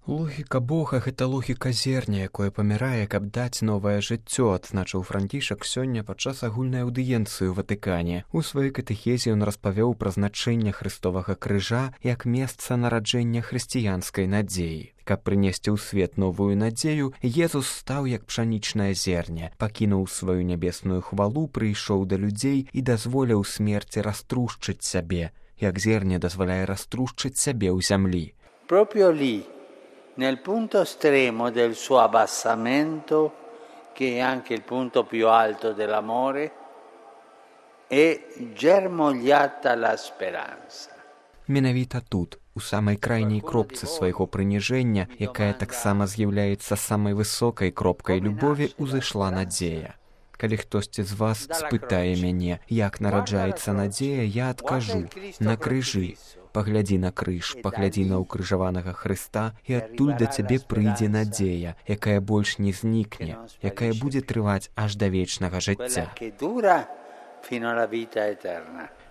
Логіка Бога – гэта логіка зерня, якое памірае, каб даць новае жыццё, адзначыў Францішак сёння падчас агульнай аўдыенцыі ў Ватыкане. У сваёй катэхезе ён распавёў пра значэнне Хрыстовага крыжа як месца нараджэння хрысціянскай надзеі. Каб прынесці ў свет новую надзею, Езус стаў як пшанічнае зерне, пакінуў сваю нябесную хвалу, прыйшоў да людзей і дазволіў смерці раструшчыць сябе, як зерне дазваляе раструшчыць сябе ў зямлі. Proprio lì, nel punto estremo del suo abbassamento, che è anche il punto più alto dell'amore, è germogliata la speranza. Менавіта тут, у самай крайняй кропцы свайго прыніжэння, якая таксама з'яўляецца самай высокай кропкай любові, узышла надзея. Калі хтосьці з вас спытае мяне, як нараджаецца надзея, я адкажу: на крыжы. Паглядзі на крыж, паглядзі на ўкрыжаванага Хрыста, і адтуль да цябе прыйдзе надзея, якая больш не знікне, якая будзе трываць аж да вечнага жыцця.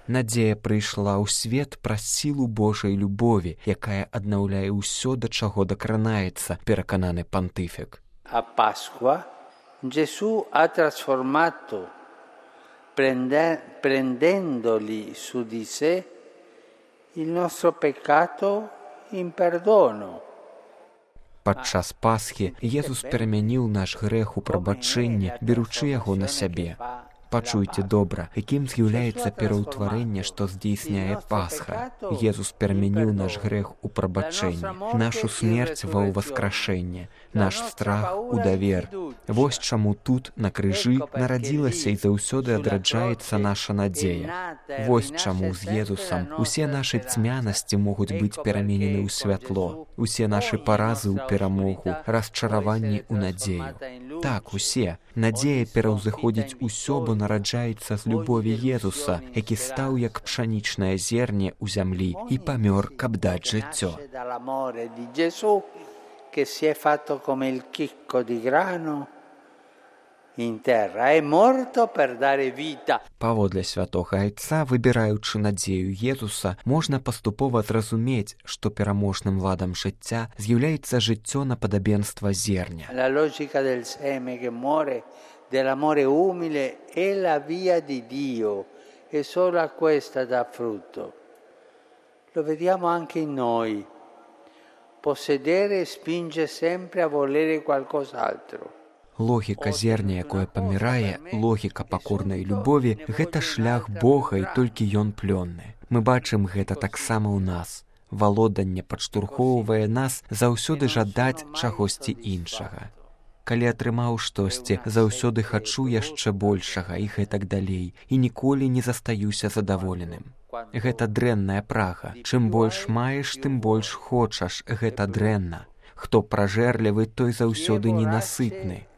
Надзея прыйшла ў свет праз сілу Божай любові, якая аднаўляе ўсё, да чаго дакранаецца, перакананы пантыфік. A Pasqua Gesù ha trasformato, prendendoli su di sé, il nostro peccato in perdono. Падчас Пасхі Езус перамяніў наш грэх у прабачэнне, беручы яго на сябе. Пачуйце добра, якім з'яўляецца пераўтварэнне, што здзейсняе Пасха. Езус перамяніў наш грэх у прабачэнне, нашу смерць ва ўваскрашэнне, наш страх у давер. Вось чаму тут, на крыжы, нарадзілася і заўсёды адраджаецца наша надзея. Вось чаму з Езусам усе нашы цьмянасці могуць быць пераменены ў святло, усе нашы паразы ў перамогу, расчараванні ў надзею. Так, усе. Надзея пераўзыходзіць усё, бо нараджаецца з любові Езуса, які стаў як пшанічнае зерне ў зямлі і памёр, каб даць жыццё. Паводле святога Айца, выбіраючы надзею Езуса, можна паступова зразумець, што пераможным ладам жыцця з'яўляецца жыццё на падабенства зерня. La logica del seme che muore, dell'amore umile, è la via di Dio, e solo a questa dà frutto. Lo vediamo anche in noi. Possedere spinge sempre a volere qualcos'altro. Логіка зерня, якое памірае, логіка пакорнай любові – гэта шлях Бога, і толькі ён плённы. Мы бачым гэта таксама ў нас. Валоданне падштурхоўвае нас заўсёды жадаць чагосьці іншага. Калі атрымаў штосьці, заўсёды хачу яшчэ большага і гэтак далей, і ніколі не застаюся задаволеным. Гэта дрэнная прага. Чым больш маеш, тым больш хочаш. Гэта дрэнна. Хто пражэрлівы, той заўсёды ненасытны.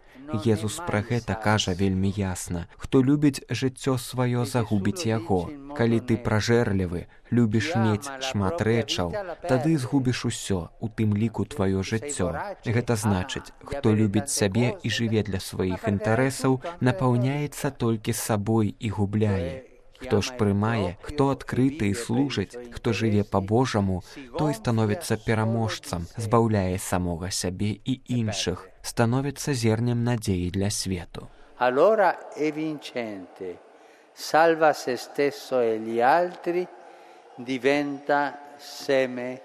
Езус пра гэта кажа вельмі ясна. Хто любіць жыццё сваё, загубіць яго. Калі ты пражэрлівы, любіш мець шмат рэчаў, тады згубіш усё, у тым ліку тваё жыццё. Гэта значыць, хто любіць сябе і жыве для сваіх інтарэсаў, напаўняецца толькі сабой і губляе. Хто ж прымае, хто адкрыты і служыць, хто жыве па-божаму, той становіцца пераможцам, збаўляе самога сябе і іншых, становіцца зернем надзеі для свету. Allora è vincente, salva se stesso e gli altri, diventa seme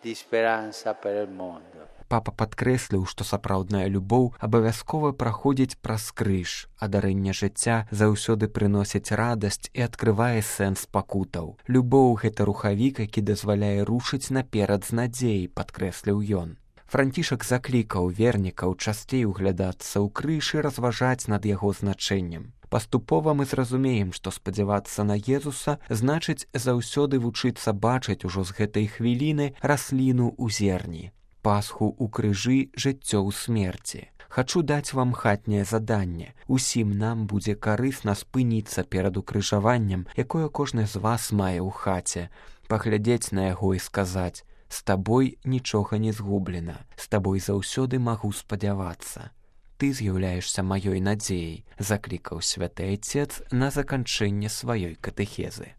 di speranza per il mondo. Папа падкрэсліў, што сапраўдная любоў абавязкова праходзіць праз крыж, а дарэнне жыцця заўсёды прыносіць радасць і адкрывае сэнс пакутаў. Любоў – гэта рухавік, які дазваляе рушыць наперад з надзеяй, падкрэсліў ён. Францішак заклікаў вернікаў часцей углядацца ў крыж і разважаць над яго значэннем. Паступова мы зразумеем, што спадзявацца на Езуса значыць заўсёды вучыцца бачыць ужо з гэтай хвіліны расліну ў зерні. Пасху ў крыжы, жыццё ў смерці. Хачу даць вам хатняе заданне. Усім нам будзе карысна спыніцца перад укрыжаваннем, якое кожны з вас мае ў хаце, паглядзець на яго і сказаць: «З табой нічога не згублена, з табой заўсёды магу спадзявацца. Ты з'яўляешся маёй надзеяй», заклікаў святы Айцец на заканчэнне сваёй катэхезы.